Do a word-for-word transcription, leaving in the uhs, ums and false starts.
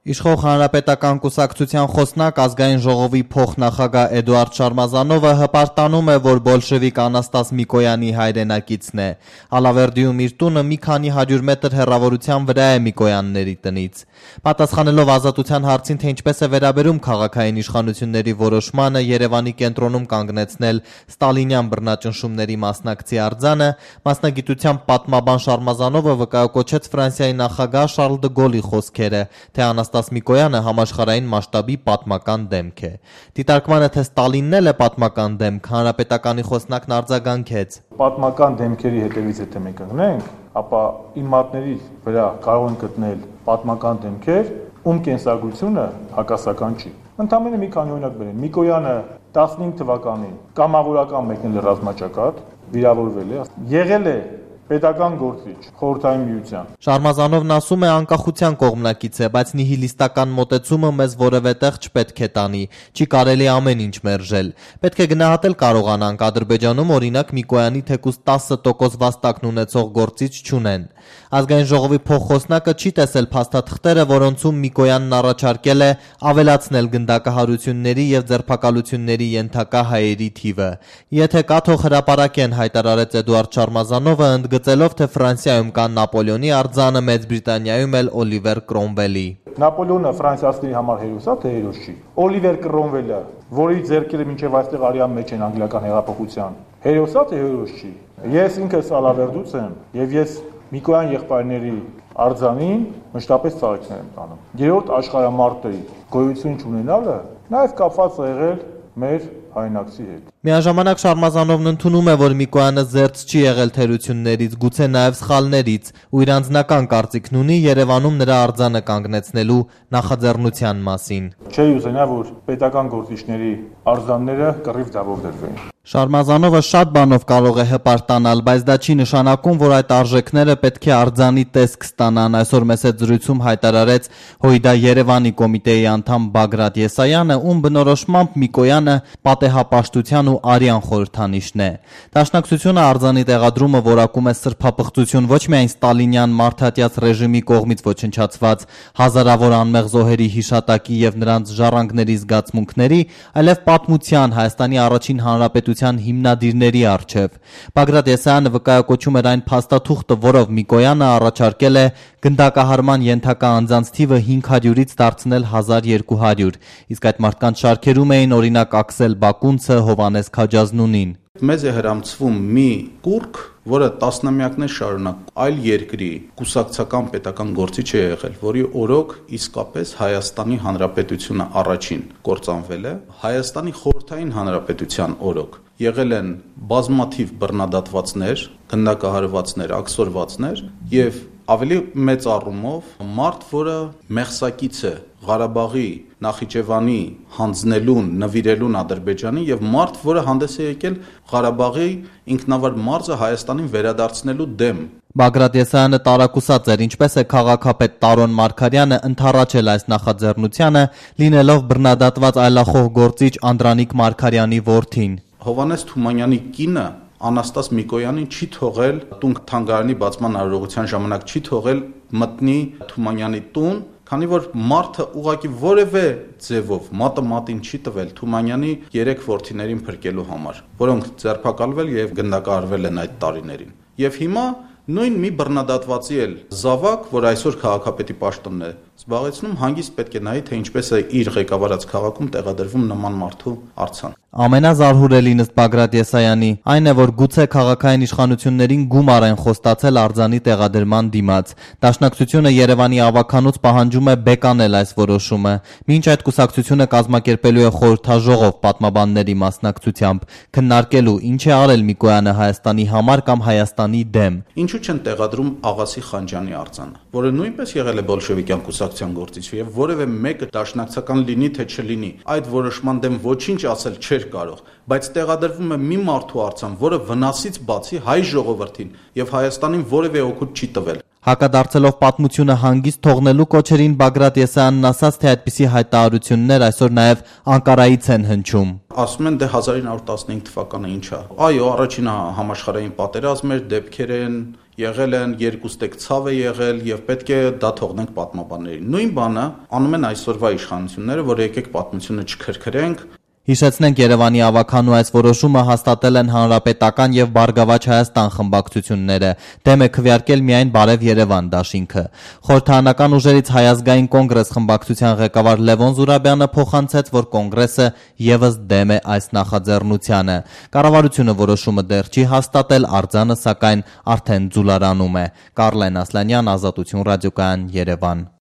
Իշխող հանրապետական կուսակցության խոսնակ ազգային ժողովի փոխնախագահ Էդուարդ Շարմազանովը հպարտանում է, որ բոլշևիկ Անաստաս Միկոյանի հայրենակիցն է։ Ալավերդիում իր տունը մի քանի հարյուր մետր հեռավորության վրա է Միկոյանների տնից։ Պատասխանելով Ազատության հարցին, թե ինչպես է վերաբերում քաղաքային իշխանությունների որոշմանը Երևանի կենտրոնում կանգնեցնել ստալինյան բռնաճնշումների մասնակցի արձանը, մասնագիտությամբ պատմաբան Շարմազանովը վկայակոչեց Ֆրանսիայի նախագահ Շարլ դը Գոլի խոսքերը, թե Անաստաս Միկոյանը համաշխարհային մասշտաբի պատմական դեմք է։ Դիտարկմանը, թե Ստալինն էլ է պատմական դեմք, հանրապետականի խոսնակն արձագանքեց։ Պատմական դեմքերի հետևից եթե մենք ընկնենք, ապա իմ մատների վրա կարող են գտնել պատմական դեմքեր, ում կենսագրությունը հակասական չի։ Ընդամենը մի քանի օրինակ բերեմ։ Միկոյանը տասնհինգ թվականին կամավորական մեկնել է ռազմաճակատ, վիրավորվել է, եղել է պետական գործիչ խորհրդային միության։ Շարմազանովն ասում է, անկախության կողմնակից է, բայց նիհիլիստական մոտեցումը մեզ որևէ տեղ չպետք է տանի, չի կարելի ամեն ինչ մերժել։ Պետք է գնահատել կարողանանք, Ադրբեջանում օրինակ Միկոյանի թեկուզ տասը տոկոս վաստակն ունեցող գործիչ չունեն։ Ազգային ժողովի փոխխոսնակը չի տեսել փաստաթղթերը, որոնցում Միկոյանն առաջարկել է ավելացնել գնդակահարությունների եւ ձերբակալությունների ենթակա հայերի թիվը։ Եթե կա, թող հրապարակեն, հայտարարեց Էդուարդ Շարմազանովը, ընդգծելով, թե Ֆրանսիայում կան Նապոլեոնի արձանը, Մեծ Բրիտանիայում էլ Օլիվեր Կրոմվելի։ Նապոլեոնը ֆրանսիացիների համար հերոս է, թե հերոս չի։ Օլիվեր Կրոմվելը, որի ձեռքերը մինչև այստեղ արյան մեջ են անգլիական հեղափոխության, հերոս է, թե հերոս չի։ Ես ինքս Ալավերդուց եմ եւ ես Միկոյան եղբայրների արձանին մշտապես ծաղիկներ եմ տանում։ Երրորդ աշխարհամարտի գոյություն չունենալը նաև կապված է եղել մեր հայրենակցի հետ։ Միաժամանակ Շարմազանովն ընդունում է, որ Միկոյանը զերծ չի եղել թերություններից, գուցե նաև սխալներից, ու իր անձնական կարծիքն ունի Երևանում նրա արձանը կանգնեցնելու նախաձեռնության մասին։ Չէի ուզենա, որ պետական գործիչների արձանները կռիվ ձևով դրվեն։ Շարմազանովը շատ բանով կարող է հպարտանալ, բայց դա չի նշանակում, որ այդ արժեքները պետք է արձանի տեսք ստանան, այսօր մեծ զրույցում հայտարարեց Հույդա Երևանի կոմիտեի անդամ Բագրատ Եսայանը, ում բնորոշմամբ Միկոյանը պատեհապաշտության ու արյան խորհրդանիշն է։ Դաշնակցությունը արձանի տեղադրումը որակում է սրբապղծություն ոչ միայն ստալինյան մարդատյաց ռեժիմի կողմից ոչնչացված հազարավոր անմեղ զոհերի հիշատակի եւ նրանց ժառանգների զգացմունքների, այլև պատմության Հայաստանի առաջին հանրապետության հիմնադիրների առջև։ Բագրատ Եսայանը վկայակոչում էր այն փաստաթուղթը, որով Միկոյանը առաջարկել է գնդակահարման ենթակա անձանց թիվը հինգ հարյուրից դարձնել հազար երկու հարյուր, իսկ այդ մարդկանց շարքերում էին օրինակ Աքսել Բակունցը, Հովանես Քաջազնունին։ Մեզ է հրամցվում մի կուրք, որը տասնամյակներ շարունակ այլ երկրի կուսակցական պետական գործիչ է եղել, որի օրոք իսկապես Հայաստանի Հանրապետությունը առաջին կործանվել է, Հայաստանի Խորհրդային Հանրապետության օրոք եղել են բազմաթիվ բռնադատվածներ, գնդակահարվածներ, աքսորվածներ եւ ավելի մեծ առումով մարդ, որը մեղսակից է Ղարաբաղի, Նախիջևանի հանձնելուն, նվիրելուն Ադրբեջանի եւ մարդ, որը հանդես է եկել Ղարաբաղի ինքնավար մարզը Հայաստանին վերադարձնելու դեմ։ Բագրատ Եսայանը տարակուսած էր, ինչպես է քաղաքապետ Տարոն Մարգարյանը ընդառաջել այս նախաձեռնությանը, լինելով բռնադատված այլախոհ գործիչ Անդրանիկ Մարգարյանի որդին։ Հովանես Թումանյանի կինը Անաստաս Միկոյանին չի թողել տուն թանգարանի բացման արարողության ժամանակ չի թողել մտնի Թումանյանի տուն, քանի որ մարդը ուղղակի որևէ ձևով մատը մատին չի տվել Թումանյանի երեք որդիներին փրկելու համար, որոնք ձերբակալվել եւ գնդակահարվել են այդ տարիներին։ Եվ հիմա նույն մի բռնադատվածի էլ զավակ, որ այսօր քաղաքապետի պաշտոնն է զբաղեցնում, հանգիստ պետք է նայի, թե ինչպես է իր ղեկավարած քաղաքում տեղադրվում նման մարդու արձան։ Ամենազարհուրելին ըստ Բագրատ Եսայանի այն է, որ գուցե քաղաքային իշխանություններին գումար են խոստացել արձանի տեղադրման դիմաց։ Դաշնակցությունը Երևանի ավականուց պահանջում է բեկանել այս որոշումը, մինչ այդ կուսակցությունը կազմակերպելու է խորհրդաժողով պատմաբանների մասնակցությամբ, քննարկելու ինչ է արել Միկոյանը Հայաստանի համար կամ Հայաստանի դեմ։ Ինչու չեն տեղադրում Աղասի Խանջյանի արձանը, որը նույնպես եղել է բոլշևիկյան կուսակցության գործիչ եւ որևէ մեկը դաշնակցական լինի թե չլինի, այդ որոշման դեմ ոչինչ ասել չէր կարող, բայց տեղադրվում է մի մարդու արձան, որը վնասից բացի հայ ժողովրդին եւ Հայաստանին որևէ օգուտ չի տվել։ Հակադարձելով պատմությունը հանգիստ թողնելու կոչերին Բագրատ Եսայանն ասաց, թե այդպիսի հայտարարություններ այսօր նաև Անկարայից են հնչում։ Ասում են դե հազար ինը հարյուր տասնհինգ թվականը ինչ է։ Այո, առաջին համաշխարհային պատերազմը, դեպքեր են եղել են երկու ստեկ ցավ է եղել եւ պետք է դա թողնենք պատմաբաններին։ Նույն բանը անում են այսօրվա իշխանությունները, որ եկեք պատմությունը չքրքրենք։ Հիշեցնենք, Երևանի ավականու այս որոշումը հաստատել են Հանրապետական եւ Բարգավաճ Հայաստան խմբակցությունները, դեմ է քվեարկել միայն Բարև Երևան դաշինքը։ Խորհրդարանական ուժերից Հայազգային կոնգրես խմբակցության ղեկավար Լևոն Զուրաբյանը փոխանցեց, որ կոնգրեսը եւս դեմ է այս նախաձեռնությանը։ Կառավարությունը որոշումը դեռ չի հաստատել, արձանը սակայն արդեն ձուլարանում է։ Կարլեն Ասլանյան, Ազատություն ռադիոկայան, Երևան։